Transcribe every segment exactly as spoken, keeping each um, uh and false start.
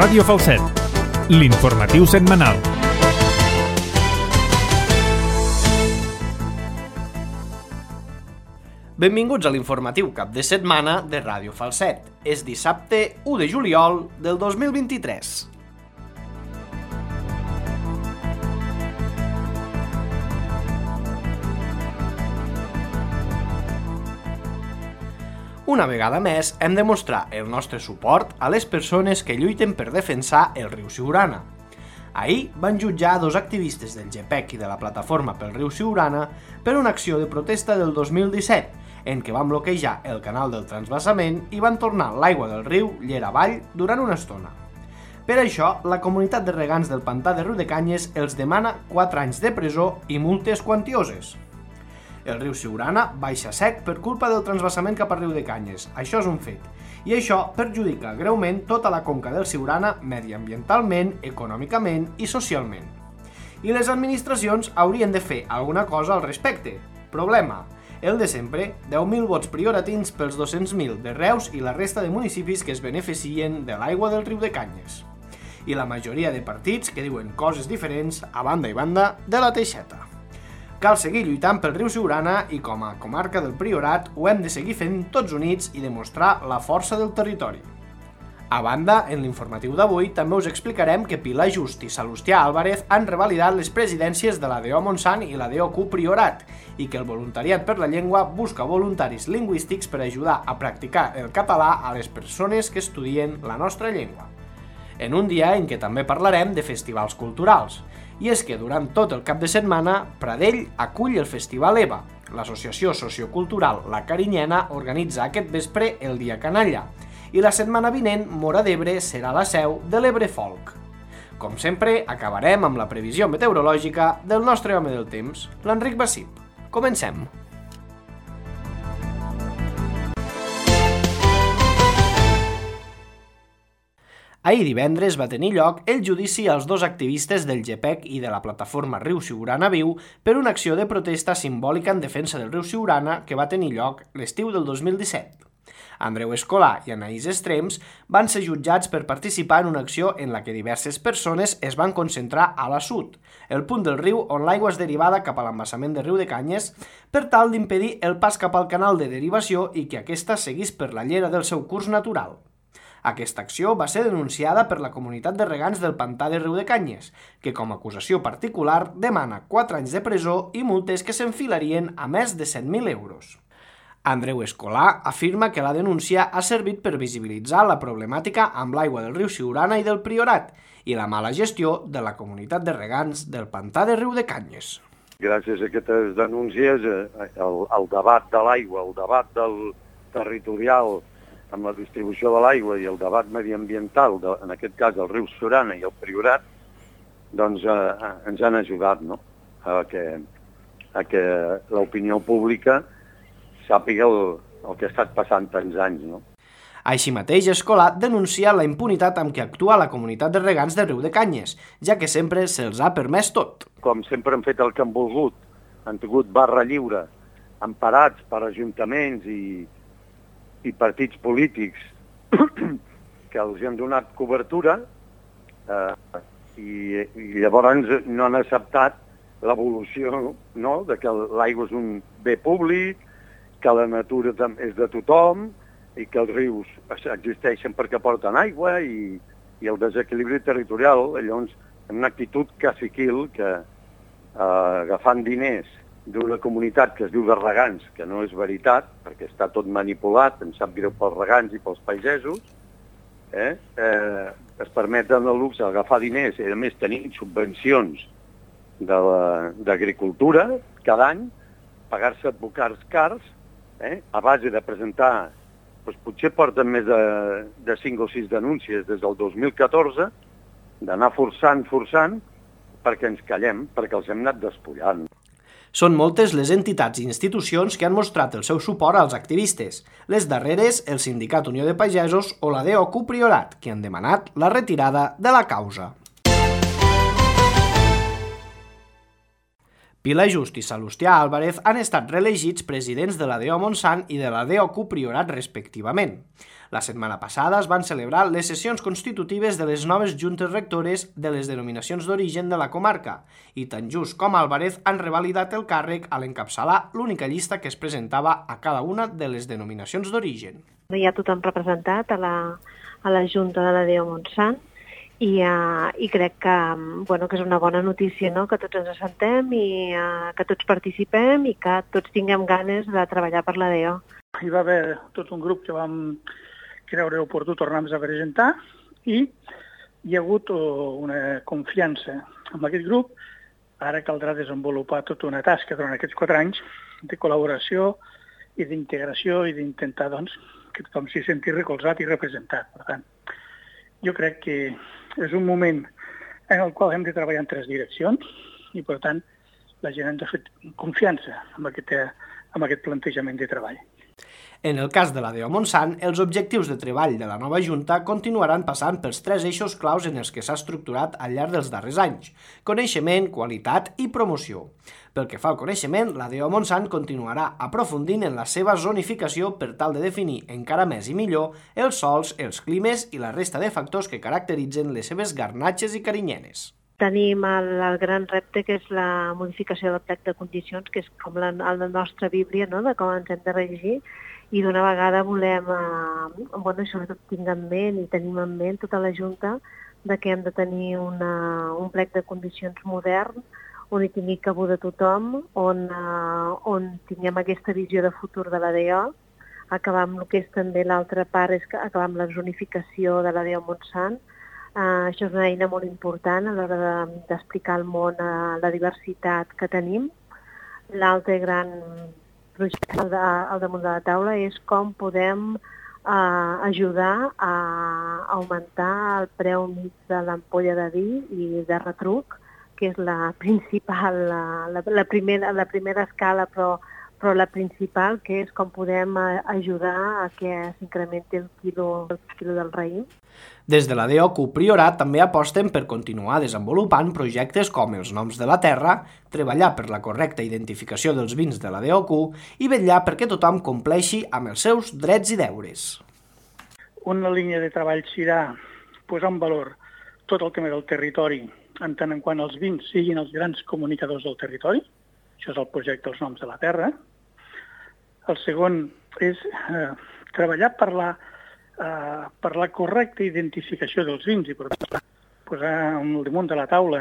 Ràdio Falset, l'informatiu setmanal. Benvinguts a l'informatiu cap de setmana de Ràdio Falset. És dissabte u de juliol del dos mil vint-i-tres. Una vegada més, hem de mostrar el nostre suport a les persones que lluiten per defensar el riu Siurana. Ahir van jutjar dos activistes del G P E C i de la Plataforma pel Riu Siurana per una acció de protesta del dos mil disset, en què van bloquejar el canal del transvasament i van tornar l'aigua del riu llera avall durant una estona. Per això, la comunitat de regants del pantà de Riudecanyes els demana quatre anys de presó i multes quantioses. El riu Siurana baixa sec per culpa del transvasament cap a Riudecanyes, això és un fet, i això perjudica greument tota la conca del Siurana mediambientalment, econòmicament i socialment. I les administracions haurien de fer alguna cosa al respecte. Problema: el de sempre, deu mil vots prioratins pels dos-cents mil de Reus i la resta de municipis que es beneficien de l'aigua del Riudecanyes. I la majoria de partits que diuen coses diferents a banda i banda de la teixeta. Cal seguir lluitant pel riu Siurana i com a comarca del Priorat ho hem de seguir fent tots units i demostrar la força del territori. A banda, en l'informatiu d'avui també us explicarem que Pilar Just i Salustià Álvarez han revalidat les presidències de la D O Montsant i la D O Q Priorat i que el voluntariat per la llengua busca voluntaris lingüístics per ajudar a practicar el català a les persones que estudien la nostra llengua. En un dia en què també parlarem de festivals culturals. I és que durant tot el cap de setmana, Pradell acull el Festival EVA. L'associació sociocultural La Carinyena organitza aquest vespre el Dia Canalla. I la setmana vinent, Móra d'Ebre serà la seu de l'Ebre Folk. Com sempre, acabarem amb la previsió meteorològica del nostre home del temps, l'Enric Bassip. Comencem! Ahir divendres va tenir lloc el judici als dos activistes del G P E C i de la plataforma Riu Siurana Viu per una acció de protesta simbòlica en defensa del riu Siurana que va tenir lloc l'estiu del dos mil disset. Andreu Escolà i Anaïs Estrems van ser jutjats per participar en una acció en la que diverses persones es van concentrar a la sud, el punt del riu on l'aigua és derivada cap a l'embassament de Riudecanyes, per tal d'impedir el pas cap al canal de derivació i que aquesta seguís per la llera del seu curs natural. Aquesta acció va ser denunciada per la comunitat de regants del pantà de Riudecanyes, que com a acusació particular demana quatre anys de presó i multes que s'enfilarien a més de set mil euros. Andreu Escolà afirma que la denúncia ha servit per visibilitzar la problemàtica amb l'aigua del riu Siurana i del Priorat i la mala gestió de la comunitat de regants del pantà de Riudecanyes. Gràcies a aquestes denúncies, el, el debat de l'aigua, el debat del territorial amb la distribució de l'aigua i el debat mediambiental, de, en aquest cas el riu Siurana i el Priorat, doncs eh, ens han ajudat, no?, a que, a que l'opinió pública sàpiga el, el que ha estat passant tants anys, no? Així mateix, Escolà denuncia la impunitat amb què actua la comunitat de regants de Riudecanyes, ja que sempre se'ls ha permès tot. Com sempre han fet el que han volgut, han tingut barra lliure, emparats per ajuntaments i i partits polítics que els han donat cobertura eh, i, i llavors no han acceptat l'evolució, no?, de que l'aigua és un bé públic, que la natura és de tothom i que els rius existeixen perquè porten aigua i, i el desequilibri territorial. Llavors, en una actitud caciquil que eh, agafant diners d'una comunitat que es diu de regants, que no és veritat, perquè està tot manipulat, em sap greu pels regants i pels pagesos, eh? Eh, es permeten el luxe d'agafar diners i, a més, tenir subvencions d'agricultura cada any, pagar-se advocats cars, eh? A base de presentar, doncs potser porten més de, de cinc o sis denúncies des del dos mil catorze, d'anar forçant, forçant, perquè ens callem, perquè els hem anat despullant. Són moltes les entitats i institucions que han mostrat el seu suport als activistes, les darreres el Sindicat Unió de Pagesos o la D O Q Priorat, que han demanat la retirada de la causa. Pilar Just i Salustià Álvarez han estat reelegits presidents de la D O Montsant i de la D O Q Priorat respectivament. La setmana passada es van celebrar les sessions constitutives de les noves juntes rectores de les denominacions d'origen de la comarca i tant Just com Álvarez han revalidat el càrrec a l'encapçalar l'única llista que es presentava a cada una de les denominacions d'origen. Hi ha tothom representat a la, a la Junta de la D O Montsant i, uh, i crec que, bueno, que és una bona notícia, no? Que tots ens assentem i uh, que tots participem i que tots tinguem ganes de treballar per la D O. Hi va haver tot un grup que vam creure oportú tornar-nos a presentar i hi ha hagut una confiança amb aquest grup. Ara caldrà desenvolupar tota una tasca durant aquests quatre anys de col·laboració i d'integració i d'intentar, doncs, que tothom s'hi senti recolzat i representat. Per tant, jo crec que és un moment en el qual hem de treballar en tres direccions i, per tant, la gent ha de fer confiança amb aquest, amb aquest plantejament de treball. En el cas de la D O Montsant, els objectius de treball de la nova Junta continuaran passant pels tres eixos claus en els que s'ha estructurat al llarg dels darrers anys: coneixement, qualitat i promoció. Pel que fa al coneixement, la D O Montsant continuarà aprofundint en la seva zonificació per tal de definir encara més i millor els sòls, els climes i la resta de factors que caracteritzen les seves garnatxes i carinyenes. Tenim el, el gran repte que és la modificació del plec de condicions, que és com la, la nostra bíblia, no?, de com ens hem de regir, i d'una vegada volem, eh, bueno, sobretot tinc en ment i tenim en ment tota la Junta de que hem de tenir una, un plec de condicions modern, on hi tingui cabuda tothom, on, eh, on tinguem aquesta visió de futur de la D O, acabar amb el que és també l'altra part, és acabar amb la zonificació de la D O Montsant. Uh, això és una eina molt important a l'hora de, d'explicar al món uh, la diversitat que tenim. L'altre gran projecte al, de, al damunt de la taula és com podem uh, ajudar a augmentar el preu mig de l'ampolla de vi i de retruc, que és la principal, la, la, la, primera, la primera escala, però, però la principal, que és com podem uh, ajudar a que s'incrementi el quilo, el quilo del raïm. Des de la D O Q Priorat també aposten per continuar desenvolupant projectes com els noms de la terra, treballar per la correcta identificació dels vins de la D O Q i vetllar perquè tothom compleixi amb els seus drets i deures. Una línia de treball serà posar en valor tot el tema del territori, en tant en quant els vins siguin els grans comunicadors del territori. Això és el projecte Els noms de la terra. El segon és eh, treballar per la Uh, per la correcta identificació dels vins i per posar al damunt de la taula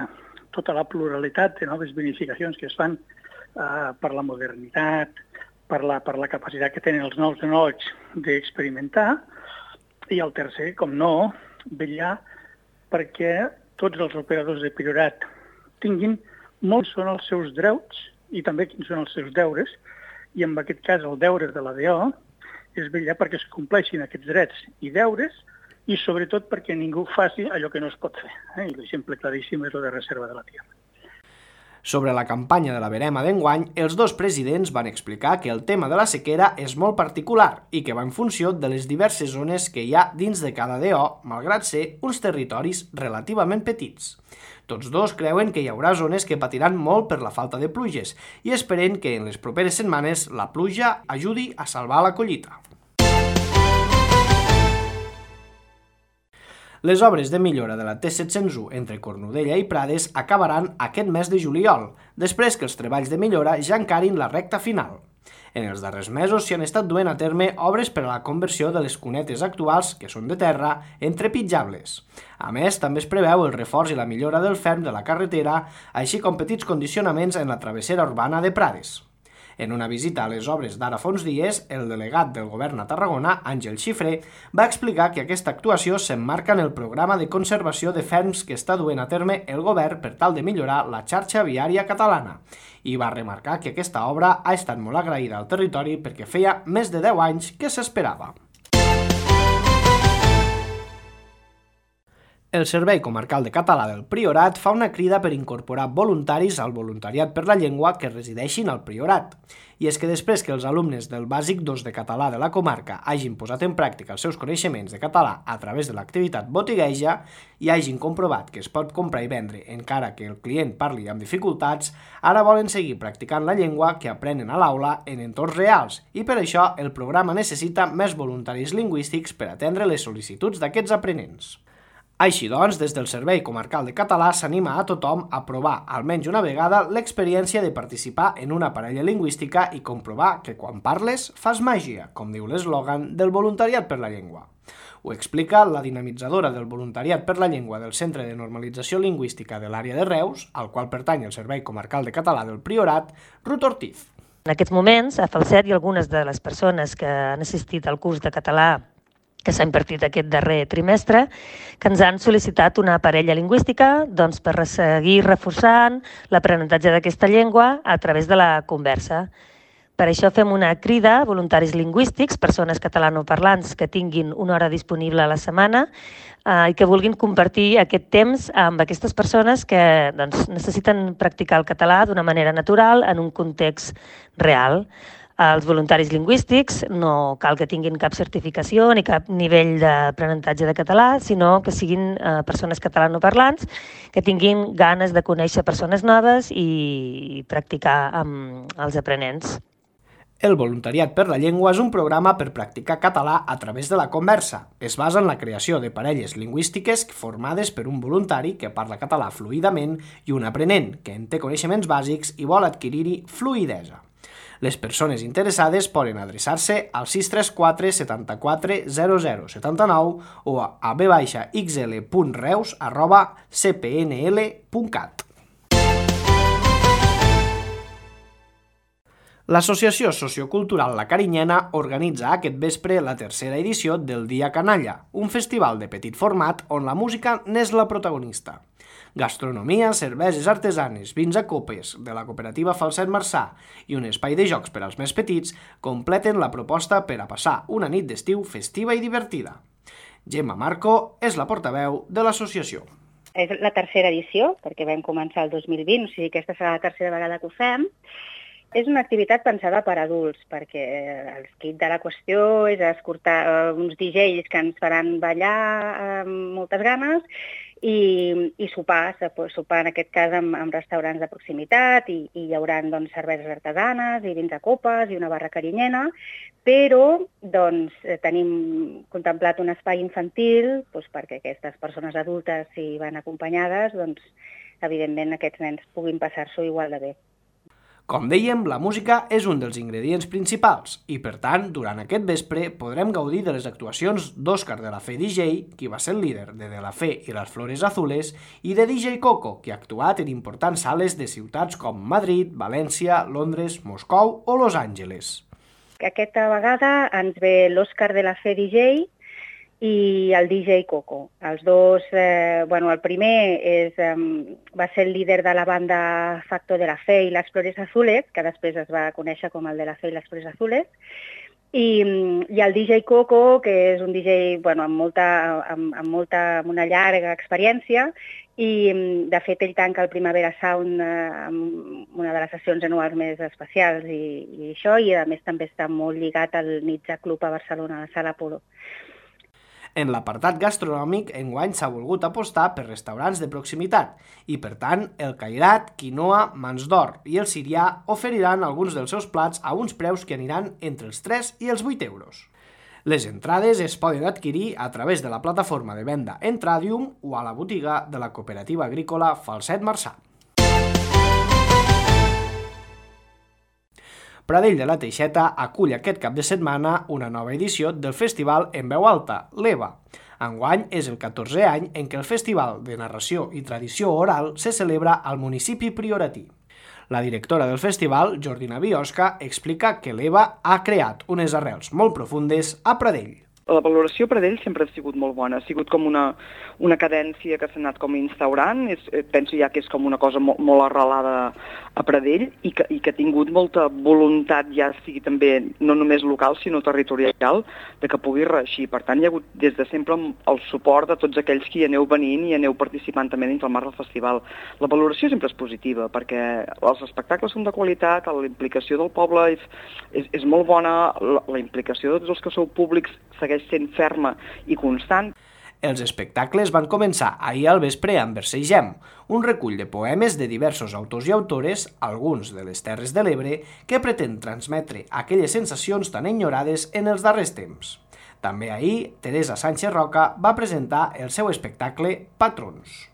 tota la pluralitat de noves vinificacions que es fan uh, per la modernitat, per la, per la capacitat que tenen els nous enòlegs d'experimentar. I el tercer, com no, vetllar perquè tots els operadors de Priorat tinguin molts són els seus drets i també quins són els seus deures, i en aquest cas el deure de la D O és vetllar perquè es compleixin aquests drets i deures i sobretot perquè ningú faci allò que no es pot fer. Eh? I l'exemple claríssim és el de reserva de la tierra. Sobre la campanya de la verema d'enguany, els dos presidents van explicar que el tema de la sequera és molt particular i que va en funció de les diverses zones que hi ha dins de cada D O, malgrat ser uns territoris relativament petits. Tots dos creuen que hi haurà zones que patiran molt per la falta de pluges i esperen que en les properes setmanes la pluja ajudi a salvar la collita. Les obres de millora de la T set cents u entre Cornudella i Prades acabaran aquest mes de juliol, després que els treballs de millora ja encarin la recta final. En els darrers mesos s'hi han estat duent a terme obres per a la conversió de les cunetes actuals, que són de terra, en trepitjables. A més, també es preveu el reforç i la millora del ferm de la carretera, així com petits condicionaments en la travessera urbana de Prades. En una visita a les obres d'ara fa uns dies, el delegat del govern a Tarragona, Àngel Xifré, va explicar que aquesta actuació s'emmarca en el programa de conservació de ferms que està duent a terme el govern per tal de millorar la xarxa viària catalana, i va remarcar que aquesta obra ha estat molt agraïda al territori perquè feia més de deu anys que s'esperava. El Servei Comarcal de Català del Priorat fa una crida per incorporar voluntaris al voluntariat per la llengua que resideixin al Priorat. I és que després que els alumnes del Bàsic dos de Català de la comarca hagin posat en pràctica els seus coneixements de català a través de l'activitat botigueja i hagin comprovat que es pot comprar i vendre encara que el client parli amb dificultats, ara volen seguir practicant la llengua que aprenen a l'aula en entorns reals i per això el programa necessita més voluntaris lingüístics per atendre les sol·licituds d'aquests aprenents. Així doncs, des del Servei Comarcal de Català s'anima a tothom a provar almenys una vegada l'experiència de participar en una parella lingüística i comprovar que quan parles fas màgia, com diu l'eslògan del voluntariat per la llengua. Ho explica la dinamitzadora del voluntariat per la llengua del Centre de Normalització Lingüística de l'àrea de Reus, al qual pertany el Servei Comarcal de Català del Priorat, Ruth Ortiz. En aquests moments, a Falset i algunes de les persones que han assistit al curs de català que s'ha impartit aquest darrer trimestre, que ens han sol·licitat una parella lingüística doncs, per seguir reforçant l'aprenentatge d'aquesta llengua a través de la conversa. Per això fem una crida a voluntaris lingüístics, persones catalanoparlants que tinguin una hora disponible a la setmana eh, i que vulguin compartir aquest temps amb aquestes persones que doncs, necessiten practicar el català d'una manera natural en un context real. Els voluntaris lingüístics no cal que tinguin cap certificació ni cap nivell d'aprenentatge de català, sinó que siguin eh, persones catalanoparlants que tinguin ganes de conèixer persones noves i practicar amb els aprenents. El voluntariat per la llengua és un programa per practicar català a través de la conversa. Es basa en la creació de parelles lingüístiques formades per un voluntari que parla català fluidament i un aprenent que en té coneixements bàsics i vol adquirir-hi fluïdesa. Les persones interessades poden adreçar-se al sis tres quatre setanta-quatre zero zero setanta-nou o a b x l punt reus arroba c p n l punt cat. L'Associació Sociocultural La Carinyena organitza aquest vespre la tercera edició del Dia Canalla, un festival de petit format on la música n'és la protagonista. Gastronomia, cerveses artesanes, vins a copes de la cooperativa Falset Marçà i un espai de jocs per als més petits completen la proposta per a passar una nit d'estiu festiva i divertida. Gemma Marco és la portaveu de l'associació. És la tercera edició, perquè vam començar el dos mil vint, o sigui que aquesta serà la tercera vegada que ho fem. És una activitat pensada per adults, perquè el quid de la qüestió és escoltar uns D Js que ens faran ballar amb moltes ganes i, i sopar, sopar en aquest cas amb, amb restaurants de proximitat i, i hi haurà doncs, cerveses artesanes i vins a copes i una barra carinyena, però doncs, tenim contemplat un espai infantil doncs, perquè aquestes persones adultes, si van acompanyades, doncs, evidentment aquests nens puguin passar-s'ho igual de bé. Com dèiem, la música és un dels ingredients principals i, per tant, durant aquest vespre podrem gaudir de les actuacions d'Òscar de la Fe D J, qui va ser el líder de De la Fe i les Flores Azules, i de D J Coco, qui ha actuat en importants sales de ciutats com Madrid, València, Londres, Moscou o Los Angeles. Aquesta vegada ens ve l'Òscar de la Fe D J i el D J Coco. Els dos, eh, bueno, el primer és, eh, va ser el líder de la banda Facto de la Fe i les Flores Azules, que després es va conèixer com el de la Fe i les Flores Azules, i, i el D J Coco, que és un D J bueno, amb, molta, amb, amb, molta, amb una llarga experiència, i de fet ell tanca el Primavera Sound eh, amb una de les sessions anuals més especials i, i això, i a més també està molt lligat al Nitza Club a Barcelona, a la Sala Apolo. En l'apartat gastronòmic, enguany s'ha volgut apostar per restaurants de proximitat i, per tant, el Cairat, Quinoa, Mans d'Or i el Sirià oferiran alguns dels seus plats a uns preus que aniran entre els tres i els vuit euros. Les entrades es poden adquirir a través de la plataforma de venda Entradium o a la botiga de la cooperativa agrícola Falset Marçà. Pradell de la Teixeta acull aquest cap de setmana una nova edició del Festival en Veu Alta, l'EVA. Enguany és el catorzè any en què el Festival de Narració i Tradició Oral se celebra al municipi prioratí. La directora del festival, Jordina Biosca, explica que l'EVA ha creat unes arrels molt profundes a Pradell. la valoració per ell sempre ha sigut molt bona, ha sigut com una, una cadència que s'ha anat com instaurant, és, penso ja que és com una cosa molt, molt arrelada a Pradell i que, i que ha tingut molta voluntat, ja sigui també no només local sinó territorial, de que pugui reeixir. Per tant, hi ha hagut des de sempre el suport de tots aquells que hi aneu venint i aneu participant també dins el marc del festival. La valoració sempre és positiva, perquè els espectacles són de qualitat, la implicació del poble és, és, és molt bona, la, la implicació de tots els que sou públics segueix sent ferma i constant. Els espectacles van començar ahir al vespre amb Versegem, un recull de poemes de diversos autors i autores, alguns de les Terres de l'Ebre, que pretén transmetre aquelles sensacions tan enyorades en els darrers temps. També ahir, Teresa Sánchez Roca va presentar el seu espectacle Patrons.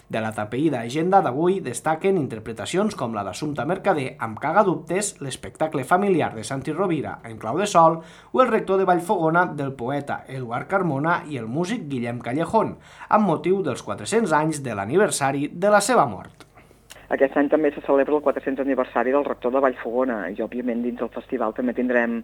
De la tapeïda agenda d'avui destaquen interpretacions com la d'Assumpta Mercader amb Cagadubtes, l'espectacle familiar de Santi Rovira en clau de sol o el rector de Vallfogona del poeta Eduard Carmona i el músic Guillem Callejón, amb motiu dels quatre-cents anys de l'aniversari de la seva mort. Aquest any també se celebra el quatre-cents aniversari del rector de Vallfogona i, òbviament, dins del festival també tindrem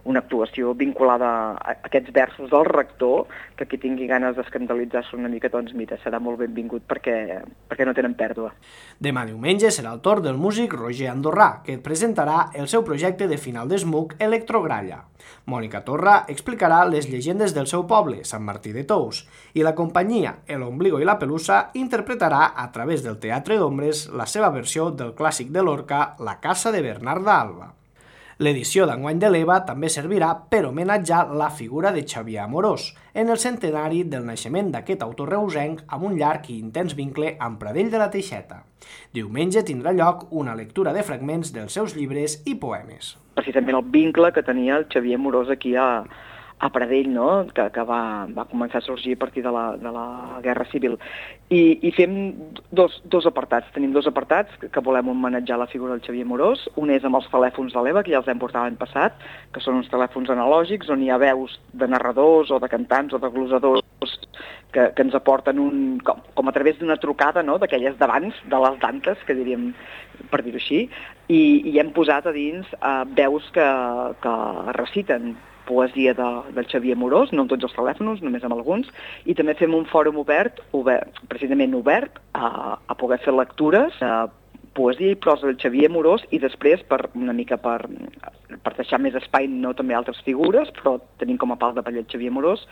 una actuació vinculada a aquests versos del rector, que qui tingui ganes d'escandalitzar-se una mica, doncs mira, serà molt benvingut perquè, perquè no tenen pèrdua. Demà diumenge serà el torn del músic Roger Andorrà, que presentarà el seu projecte de final d'esmuc Electrogralla. Mònica Torra explicarà les llegendes del seu poble, Sant Martí de Tous, i la companyia El Ombligo i la Pelusa interpretarà a través del Teatre d'Ombres la seva versió del clàssic de Lorca, La casa de Bernarda Alba. L'edició d'enguany de l'E V A també servirà per homenatjar la figura de Xavier Amorós, en el centenari del naixement d'aquest autor reusenc amb un llarg i intens vincle amb Pradell de la Teixeta. Diumenge tindrà lloc una lectura de fragments dels seus llibres i poemes. Precisament el vincle que tenia el Xavier Amorós aquí a, a Pradell, no? que, que va, va començar a sorgir a partir de la, de la Guerra Civil. I, i fem dos, dos apartats. Tenim dos apartats que, que volem homenatjar la figura del Xavier Amorós. Un és amb els telèfons de l'E V A, que ja els hem portat l'any passat, que són uns telèfons analògics on hi ha veus de narradors o de cantants o de glosadors que, que ens aporten un, com, com a través d'una trucada, no? D'aquelles d'abans, de les dantes, que diríem, per dir-ho així, i, i hem posat a dins uh, veus que, que reciten poesia de, del Xavier Amorós, no amb tots els telèfons, només amb alguns, i també fem un fòrum obert, obert precisament obert, a, a poder fer lectures, a poesia i prosa del Xavier Amorós i després, per una mica per, per deixar més espai, no també altres figures, però tenim com a pal de paller el Xavier Amorós,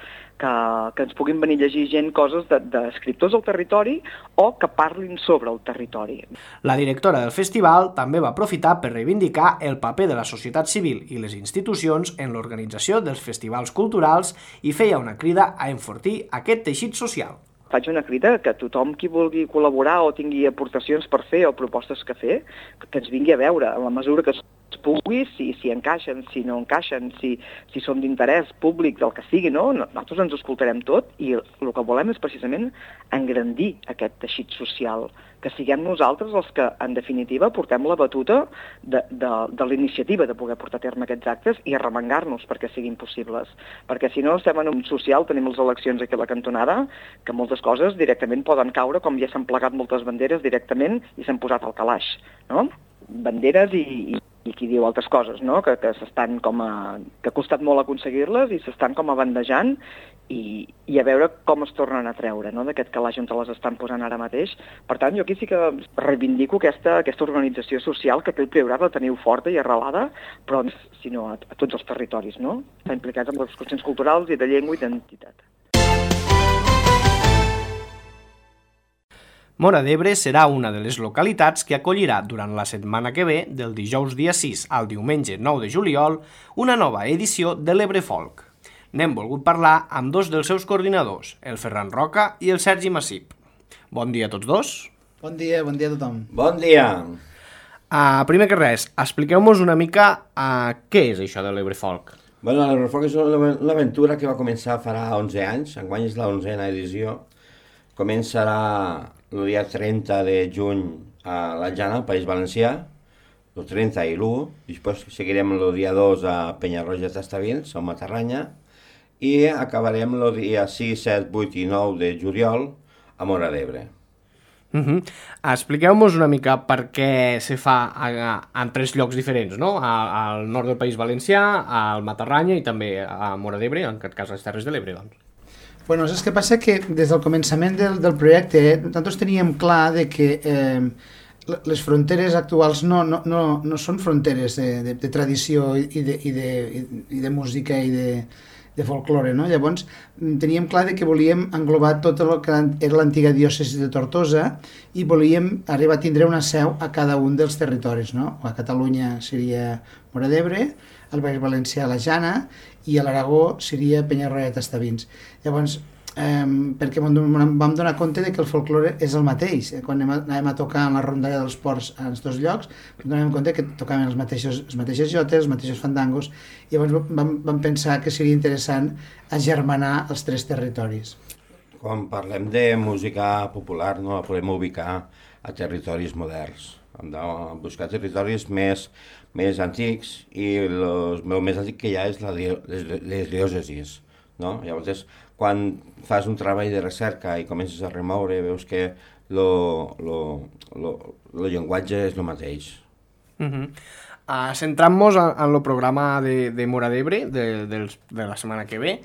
que, que ens puguin venir a llegir gent coses d'escriptors del territori o que parlin sobre el territori. La directora del festival també va aprofitar per reivindicar el paper de la societat civil i les institucions en l'organització dels festivals culturals i feia una crida a enfortir aquest teixit social. Faig una crida que tothom qui vulgui col·laborar o tingui aportacions per fer o propostes que fer, que ens vingui a veure, en la mesura que es pugui, si, si encaixen, si no encaixen, si, si són d'interès públic, del que sigui, no? Nosaltres ens escoltarem tot i el que volem és precisament engrandir aquest teixit social, que siguem nosaltres els que, en definitiva, portem la batuta de, de, de l'iniciativa de poder portar a terme aquests actes i arremangar-nos perquè siguin possibles. Perquè si no estem en un social, tenim les eleccions aquí a la cantonada, que moltes coses directament poden caure, com ja s'han plegat moltes banderes directament i s'han posat al calaix, no? Banderes i, i, i qui diu altres coses, no? Que, que s'estan com a... que ha costat molt aconseguir-les i s'estan com a bandejant i, i a veure com es tornen a treure, no? D'aquest calaix on te les estan posant ara mateix. Per tant, jo aquí sí que reivindico aquesta, aquesta organització social que té el Priorat, la teniu forta i arrelada, però sinó a, a tots els territoris, no? Estan implicats en les qüestions culturals i de llengua i d'identitat. Móra d'Ebre serà una de les localitats que acollirà durant la setmana que ve, del dijous dia sis al diumenge nou de juliol, una nova edició de l'Ebre Folk. N'hem volgut parlar amb dos dels seus coordinadors, el Ferran Roca i el Sergi Massip. Bon dia a tots dos. Bon dia, bon dia a tothom. Bon dia. Uh, primer que res, expliqueu-nos una mica uh, què és això de l'Ebre Folk. Bueno, l'Ebre Folk és una aventura que va començar farà onze anys, enguany és la onzena edició. Començarà el dia trenta de juny a la Jana, al País Valencià, el trenta i l'u, després seguirem el dia dos a Penyarroja d'Estavins, a Matarranya, i acabarem el dia sis, set, vuit i nou de juliol a Móra d'Ebre. Uh-huh. Expliqueu-nos una mica per què se fa a, a, en tres llocs diferents, no? A, al nord del País Valencià, al Matarranya i també a Móra d'Ebre, en aquest cas a les Terres de l'Ebre, doncs. Bueno, és que passa que des del començament del, del projecte nosaltres teníem clar de que eh, les fronteres actuals no, no, no, no són fronteres de, de, de tradició i de, i, de, i de música i de, de folklore, no? Llavors teníem clar de que volíem englobar tot el que era l'antiga diòcesi de Tortosa i volíem arribar a tindre una seu a cada un dels territoris, no? A Catalunya seria Móra d'Ebre, al Baix Valencià la Jana i a l'Aragó seria Penyarroia Tastavins. Llavors, Eh, perquè vam donar compte de que el folklore és el mateix. Quan anàvem a tocar en la rondalla dels ports en els dos llocs, vam donar compte que tocaven els mateixos, els mateixos jotes, els mateixos fandangos, i llavors vam, vam pensar que seria interessant agermanar els tres territoris. Quan parlem de música popular no la podem ubicar a territoris moderns. Hem de buscar territoris més, més antics i los, el més antic que hi ha és la, les, les diòcesis. No? Llavors, quan fas un treball de recerca i comences a remoure, veus que el llenguatge és el mateix. Uh-huh. uh, Centrant-nos en, en el programa de, de Móra d'Ebre de, de, de la setmana que ve,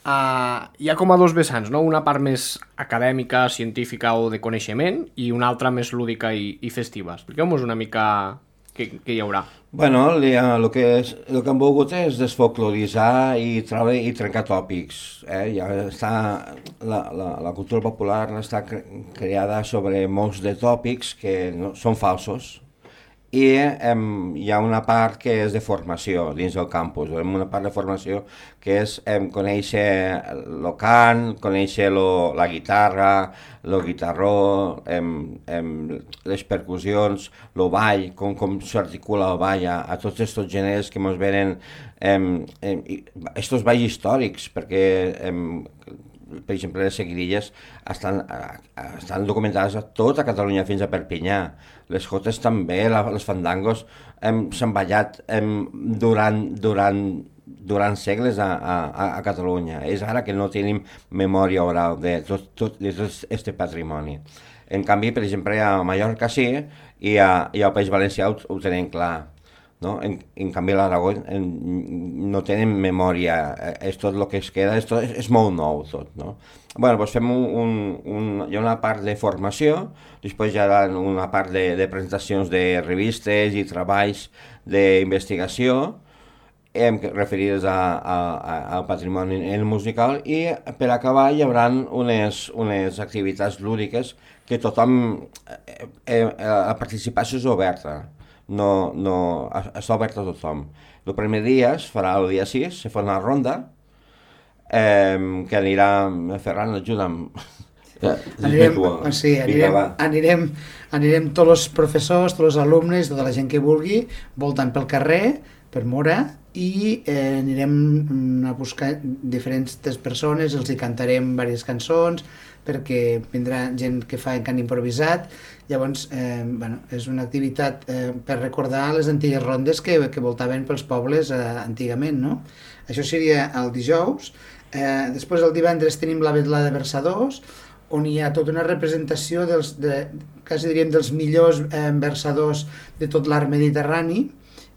uh, hi ha com a dos vessants, no? Una part més acadèmica, científica o de coneixement i una altra més lúdica i, i festiva. Expliqueu-nos una mica què, què hi haurà. Bueno, el que, és, el que hem volgut és desfolkloritzar i treure i trencar tòpics. Eh? Ja està, la, la, la cultura popular està creada sobre molts de tòpics que no, són falsos i em, hi ha una part que és de formació dins del campus, una part de formació que és em, conèixer el cant, conèixer lo, la guitarra, el guitarró, em, em, les percussions, el ball, com, com s'articula el ball a, a tots aquests gèneres que ens venen, aquests balls històrics, perquè em, per exemple, les seguidilles estan, estan documentades a tota Catalunya fins a Perpinyà. Les jotes també, la, les fandangos s'han ballat em, durant, durant, durant segles a, a, a Catalunya. És ara que no tenim memòria oral de tot, tot, de tot este patrimoni. En canvi, per exemple, a Mallorca sí i, a, i al País Valencià ho, ho tenen clar. No? En, en canvi a l'Aragó no tenen memòria, és tot el que es queda, és, tot, és molt nou tot. No? Bueno, doncs fem un, un, un, hi ha una part de formació, després hi ha una part de, de presentacions de revistes i treballs d'investigació eh, referides a, a, a, al patrimoni musical i per acabar hi haurà unes, unes activitats lúdiques que tothom, eh, eh, la participació és oberta. No, no, està obert a tothom. El primer dia es farà el dia sis, se fa una ronda, eh, que anirà, Ferran, ajuda'm. Anirem, sí, anirem, anirem, anirem tots els professors, tots els alumnes, tota la gent que vulgui, voltant pel carrer, per Móra, i eh, anirem a buscar diferents persones, els hi cantarem diverses cançons, perquè vindrà gent que fa cant improvisat. Llavors, eh, bueno, és una activitat eh, per recordar les antigues rondes que, que voltaven pels pobles eh, antigament, no? Això seria el dijous. Eh, després, el divendres, tenim la vetla de versadors, on hi ha tota una representació dels, de, quasi diríem, dels millors eh, versadors de tot l'arc mediterrani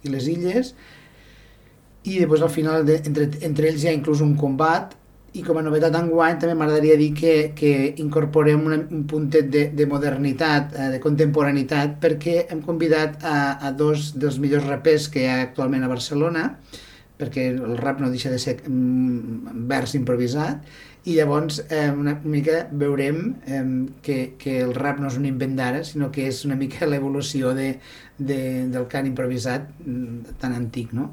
i les illes, i després al final de, entre, entre ells hi ha inclús un combat, i com a novetat enguany també m'agradaria dir que, que incorporem una, un puntet de, de modernitat, eh, de contemporaneitat, perquè hem convidat a, a dos dels millors rapers que hi ha actualment a Barcelona, perquè el rap no deixa de ser mm, vers improvisat, i llavors eh, una mica veurem eh, que, que el rap no és un invent d'ara, sinó que és una mica l'evolució de, de, del cant improvisat mm, tan antic, no?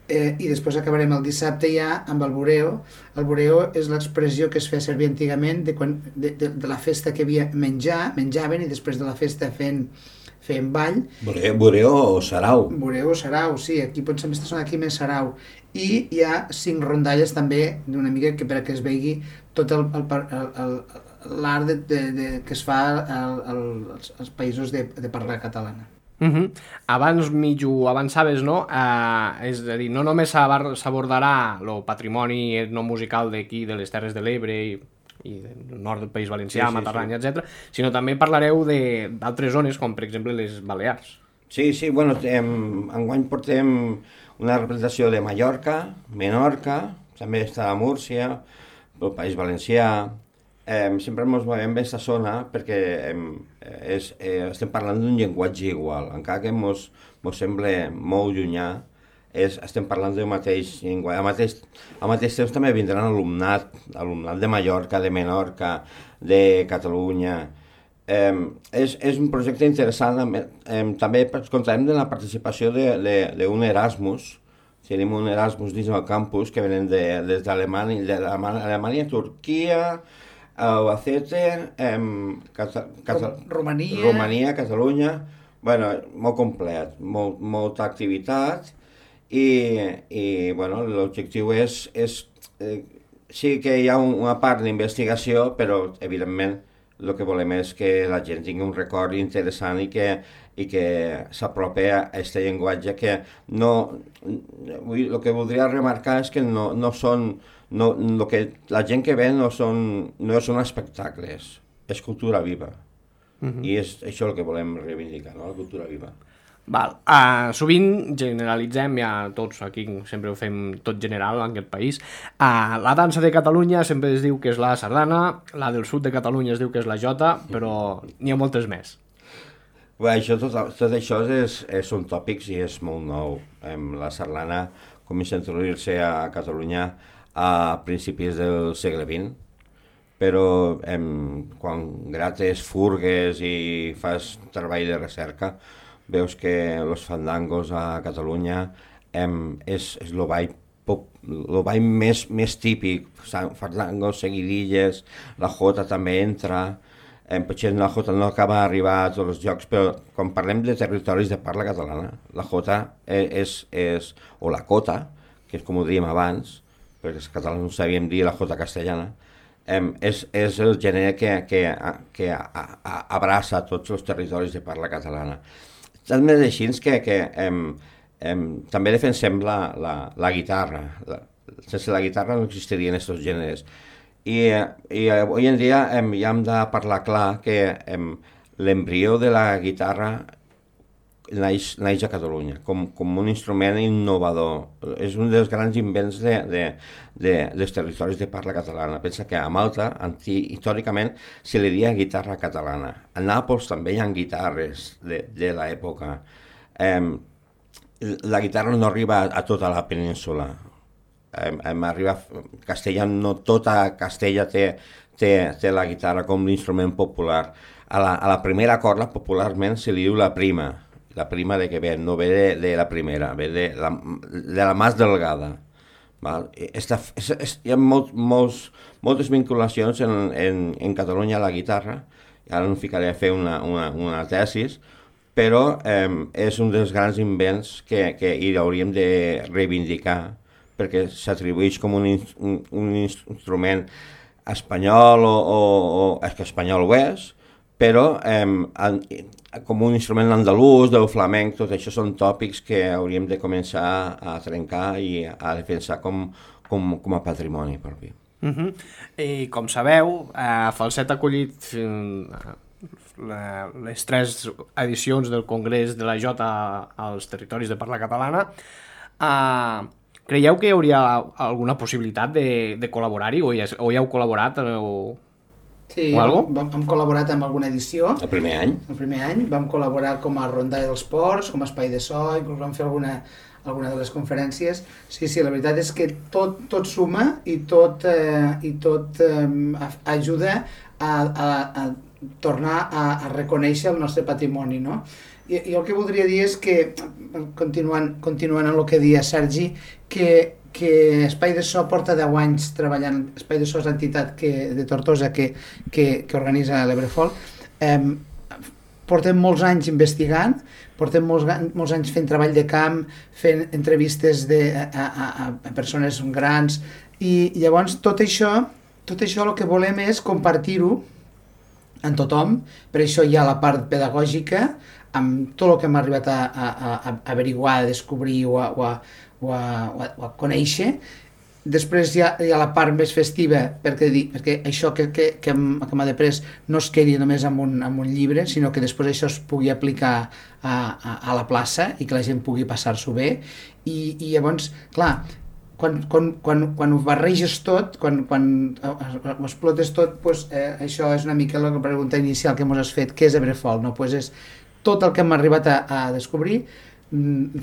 Eh, i després acabarem el dissabte ja amb el bureo. El bureo és l'expressió que es feia servir antigament de, quan, de, de, de la festa que havia menjar, menjaven i després de la festa fent, fent ball. Bureo, bureo o sarau. Bureo o sarau, sí, aquí potser m'està sonant aquí més sarau. I hi ha cinc rondalles també d'una mica que perquè es vegi tot el, el, el, el, l'art de, de, de, que es fa el, el, als, als països de, de parla catalana. Uh-huh. Abans mig ho avançaves, no? Uh, és a dir, no només s'abordarà el patrimoni etnomusical d'aquí, de les Terres de l'Ebre i i del nord del País Valencià, sí, sí, Matarranya, sí. etcètera, sinó també parlareu d'altres zones, com per exemple les Balears. Sí, sí, bueno, em, enguany portem una representació de Mallorca, Menorca, també està a Múrcia, el País Valencià. Eh, sempre ens movem aquesta zona perquè eh, és, eh, estem parlant d'un llenguatge igual, encara que ens sembla molt llunyà, és, estem parlant del mateix llenguatge. Al mateix, al mateix temps també vindran alumnat, alumnat de Mallorca, de Menorca, de Catalunya. Eh, és, és un projecte interessant, eh, també comptarem de la participació d'un Erasmus. Tenim un Erasmus dins del campus que venen de, des d'Alemanya, d'Alemanya, Turquia, Albacete, eh, Cata, Cata, Romania. Romania, Catalunya, bueno, molt complet, molt, molta activitat i, i bueno, l'objectiu és, és eh, sí que hi ha un, una part d'investigació, però evidentment el que volem és que la gent tingui un record interessant i que, i que s'apropi a aquest llenguatge que no... El que voldria remarcar és que no, no són... No, lo que, la gent que ve no són, no són espectacles, és cultura viva. Uh-huh. I és això el que volem reivindicar, no? La cultura viva. Val. Uh, sovint generalitzem, ja tots aquí sempre ho fem tot general en aquest país. Uh, la dansa de Catalunya sempre es diu que és la sardana, la del sud de Catalunya es diu que és la jota, però n'hi ha moltes més. Bé, això, tot, tot això és, és, són tòpics i és molt nou. Um, la sardana comença a introduir-se a Catalunya a principis del segle vint, però em, quan grates furgues i fas treball de recerca, veus que els fandangos a Catalunya em, és, és el ball, pop, el ball més, més típic, fandangos, seguidilles, la jota també entra, em, potser la jota no acaba d'arribar a tots els llocs, però quan parlem de territoris de parla catalana, la jota és, és o la cota, que és com ho dèiem abans, perquè els catalans no sabíem dir la jota castellana, eh, és, és el gènere que, que, que a, a, abraça tots els territoris de parla catalana. També és així que, que eh, eh, també defensem la, la, la guitarra. La, sense la guitarra no existirien aquests gèneres. I, i avui en dia eh, ja hem de parlar clar que eh, l'embrió de la guitarra naix, naix a Catalunya, com, com un instrument innovador. És un dels grans invents de, de, de, dels territoris de parla catalana. Pensa que a Malta, anti, històricament, se li deia guitarra catalana. A Nàpols també hi ha guitarres de, de l'època. Eh, la guitarra no arriba a, a tota la península. Eh, arriba a Castella, no tota Castella té, té, té la guitarra com l'instrument popular. A la, a la primera corda, popularment, se li diu la prima. La prima de què ve, no ve de, de la primera, ve de la, de la más delgada. Val? Esta, és, és, hi ha molt, molts, moltes vinculacions en, en, en Catalunya a la guitarra, ara no ficaré a fer una, una, una tesis, però eh, és un dels grans invents que, que hi hauríem de reivindicar, perquè s'atribueix com un, un, un instrument espanyol, o, o, o és que espanyol ho és, però eh, com un instrument andalús, del flamenc, tot això són tòpics que hauríem de començar a trencar i a defensar com, com, com a patrimoni propi. Uh-huh. I com sabeu, eh, Falset ha acollit eh, les tres edicions del Congrés de la Jota als territoris de parla catalana. Eh, creieu que hi hauria alguna possibilitat de, de col·laborar-hi o, ja, o ja heu col·laborat? O... Sí, vam, hem col·laborat amb alguna edició. El primer any. El primer any. Vam col·laborar com a Rondalla dels Ports, com a Espai de So, inclús vam fer alguna, alguna de les conferències. Sí, sí, la veritat és que tot, tot suma i tot, eh, i tot eh, ajuda a, a, a tornar a, a reconèixer el nostre patrimoni, no? I, i el que voldria dir és que, continuant, continuant amb el que deia Sergi, que que Espai de So porta deu anys treballant, Espai de So és l'entitat que, de Tortosa que, que, que organitza l'Ebrefolk, eh, portem molts anys investigant, portem molts, molts anys fent treball de camp, fent entrevistes de, a, a, a persones grans, i llavors tot això, tot això el que volem és compartir-ho amb tothom, per això hi ha la part pedagògica, amb tot el que hem arribat a, a, a averiguar, a descobrir o a, o a o a, o a, o a conèixer, després hi ha, hi ha la part més festiva, perquè, perquè això que, que, que m'ha de pres no es quedi només amb un, amb un llibre, sinó que després això es pugui aplicar a, a, a la plaça i que la gent pugui passar-s'ho bé. I, i llavors, clar, quan, quan, quan, quan ho barreges tot, quan, quan ho explotes tot, doncs, eh, això és una mica la pregunta inicial que ens has fet, què és Ebrefolc? No? Pues és tot el que hem arribat a, a descobrir,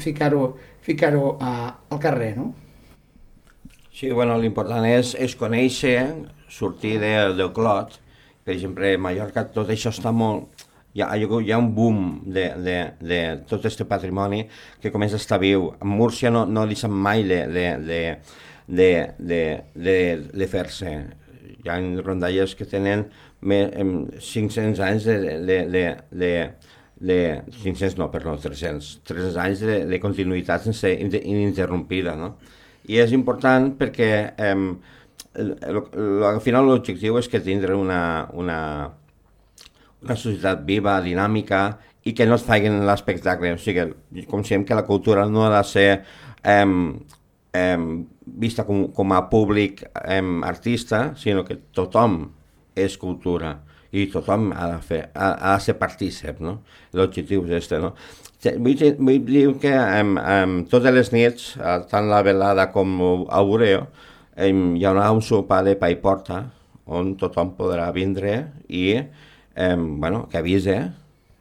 ficar-ho ficar-ho al carrer, no? Sí, bueno, l'important és, és conèixer, sortir de, del clot. Per exemple, a Mallorca tot això està molt... Hi ha, hi ha un boom de, de, de tot aquest patrimoni que comença a estar viu. A Múrcia no, no deixen mai de, de, de, de, de, de, de fer-se. Hi ha rondalles que tenen cinc-cents anys de... de, de, de de cinc-cents no, perdó, tres-cents, tres-cents anys de, de continuïtat sense ininterrompida, no? I és important perquè eh, el, el, al final l'objectiu és que tindre una, una, una societat viva, dinàmica i que no es facin l'espectacle. O sigui, considerem que la cultura no ha de ser eh, eh, vista com, com a públic eh, artista, sinó que tothom és cultura. I tothom ha de, fer, ha, ha de ser partícip, no? L'objectiu és este, no? Vull, vull dir que um, um, totes les nits, tant la velada com el Bureo, um, hi haurà un sopar de pa i porta, on tothom podrà vindre i, um, bueno, que avise,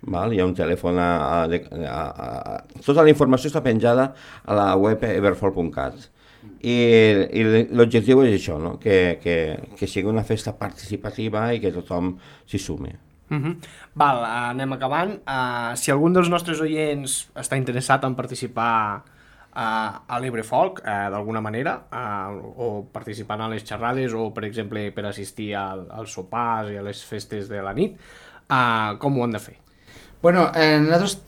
val? Hi ha un telèfon a, a, a, a... Tota la informació està penjada a la web ebrefolc punt cat. I, i l'objectiu és això, no? que, que, que sigui una festa participativa i que tothom s'hi sumi. Uh-huh. Val, anem acabant. Uh, si algun dels nostres oients està interessat en participar uh, a l'Ebrefolc, uh, d'alguna manera, uh, o participant a les xerrades, o per exemple per assistir al, als sopars i a les festes de la nit, uh, com ho han de fer? Bueno, eh, nosaltres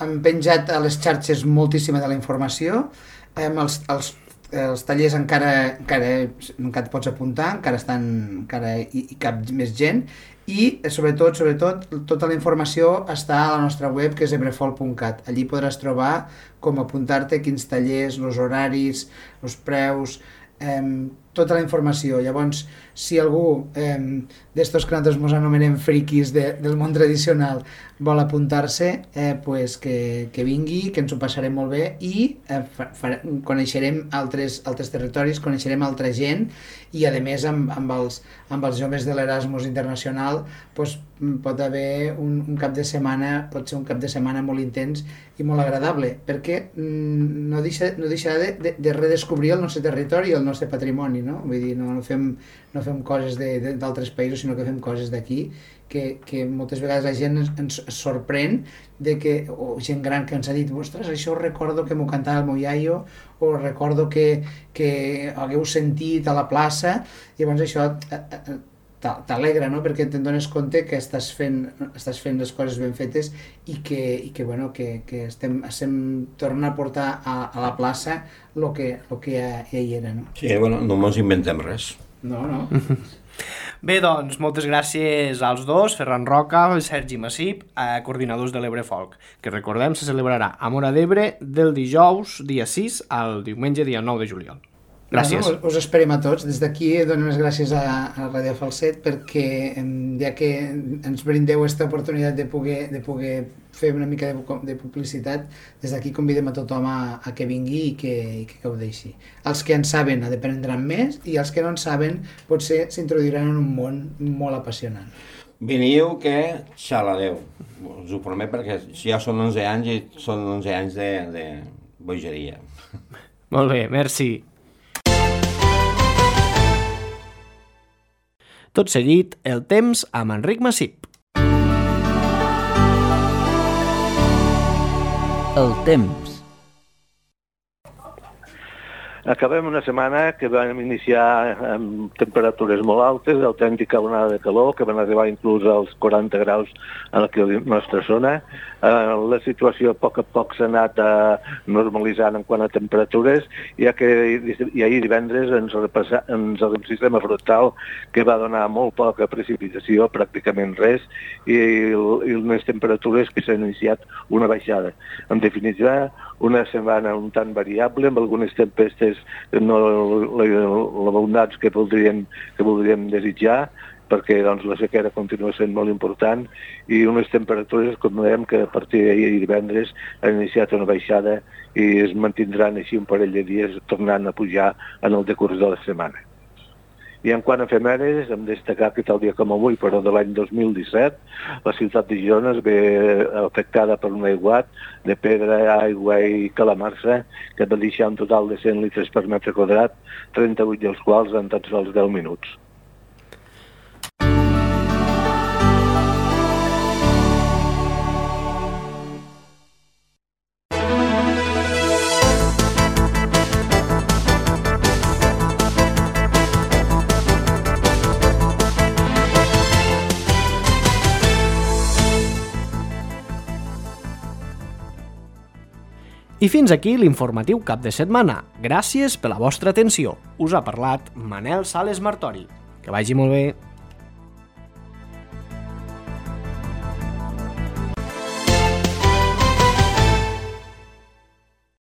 hem penjat a les xarxes moltíssima de la informació, eh, els, els els tallers encara, encara, encara et pots apuntar, encara estan, encara hi, hi cap més gent, i sobretot, sobretot, tota la informació està a la nostra web, que és ebrefolc punt cat. Allí podràs trobar com apuntar-te, quins tallers, els horaris, els preus, eh, tota la informació. Llavors, si algú eh, d'estos que nosaltres ens anomenem friquis de, del món tradicional vol apuntar-se, eh, pues que, que vingui, que ens ho passarem molt bé i eh, fa, fa, coneixerem altres, altres territoris, coneixerem altra gent i a més amb, amb, els, amb els joves de l'Erasmus Internacional pues, pot haver un, un cap de setmana, pot ser un cap de setmana molt intens i molt agradable, perquè mm, no deixa, no deixarà de, de, de redescobrir el nostre territori i el nostre patrimoni, no? Vull dir, no, no fem no fem coses d'altres països, sinó que fem coses d'aquí, que, que moltes vegades la gent ens, ens sorprèn de que, o gent gran que ens ha dit, ostres, això recordo que m'ho cantava el meu iaio, o recordo que, que hagueu sentit a la plaça, i llavors això t'alegra, no? Perquè te'n dones compte que estàs fent, estàs fent les coses ben fetes i que, i que, bueno, que, que estem, estem tornant a portar a, a la plaça el que, lo que ja, ja hi era, no? Sí, bueno, no ens inventem res. No, no. Bé, doncs, moltes gràcies als dos, Ferran Roca i Sergi Massip, eh, coordinadors de l'Ebrefolc, que recordem se celebrarà a Móra d'Ebre del dijous dia sis al diumenge dia nou de juliol. Gràcies. Bueno, us esperem a tots. Des d'aquí donem les gràcies a, a Ràdio Falset perquè ja que ens brindeu aquesta oportunitat de poder, de poder fer una mica de, de publicitat, des d'aquí convidem a tothom a, a que vingui i que, i que gaudeixi. Els que en saben aprendran més i els que no en saben potser s'introduiran en un món molt apassionant. Veniu que xalareu, us ho promet perquè ja són onze anys i són onze anys de, de bogeria. Molt bé, merci. Tot seguit, el temps amb Enric Massip. El temps. Acabem una setmana que vam iniciar amb temperatures molt altes, autèntica onada de calor, que van arribar inclús als quaranta graus en la nostra zona. Eh, la situació a poc a poc s'ha anat eh, normalitzant en quant a temperatures, ja que i ahir divendres ens, repassa, ens un sistema frontal que va donar molt poca precipitació, pràcticament res, i, i unes temperatures que s'han iniciat una baixada. En definitiva, una setmana un tant variable, amb algunes tempestes no l'abundants que voldríem, que voldríem desitjar, perquè doncs, la sequera continua sent molt important i unes temperatures, com dèiem, que a partir d'ahir i divendres han iniciat una baixada i es mantindran així un parell de dies tornant a pujar en el decurs de la setmana. I en quant a efemèrides, hem destacat que tal dia com avui, però de l'any dos mil disset, la ciutat de Girona es ve afectada per un aiguat de pedra, aigua i calamarsa que va deixar un total de cent litres per metre quadrat, trenta-vuit dels quals en tan sols deu minuts. I fins aquí l'informatiu cap de setmana. Gràcies per la vostra atenció. Us ha parlat Manel Sales Martori. Que vagi molt bé.